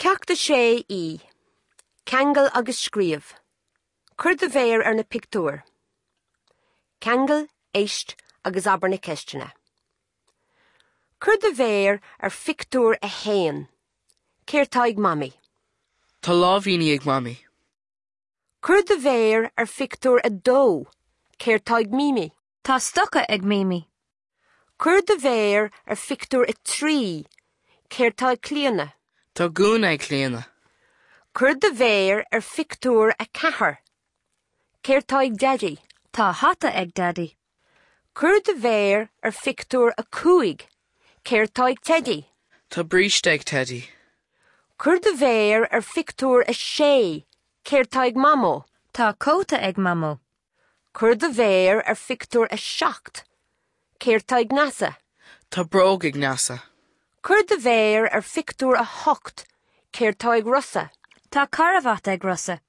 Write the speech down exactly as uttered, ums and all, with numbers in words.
Ceacht a sé E. Ceangail agus scríobh. Cuir do mhéar ar na pictiúir. Ceangail, éist agus abair na ceisteanna. Cuir do mhéar ar phictiúr a haon. Céard atá ag Mamaí? Tá láimhíní ag Mamaí. Cuir do mhéar ar phictiúr a dó. Céard atá ag Mimi? Tá stoca ag Mimi. Cuir do mhéar ar phictiúr a trí. Céard atá ag Clíona? Tá gúna ag Clíona. Cuir do mhéar ar phictiúr a ceathair. Céard atá ag Daidí? Tá hata ag Daidí. Cuir do mhéar ar phictiúr a cúig. Céard atá ag Teidí? Tá bríste ag Teidí. Cuir do mhéar ar phictiúr a sé. Céard atá ag Mamó? Tá cóta ag Mamó. Cuir do mhéar ar phictiúr a seacht. Céard atá ag Neasa? Tá bróg ag Neasa. Cuir do mhéar ar phictiúr a hocht. Céard atá ag Rosa? Tá carbhat ag Rosa.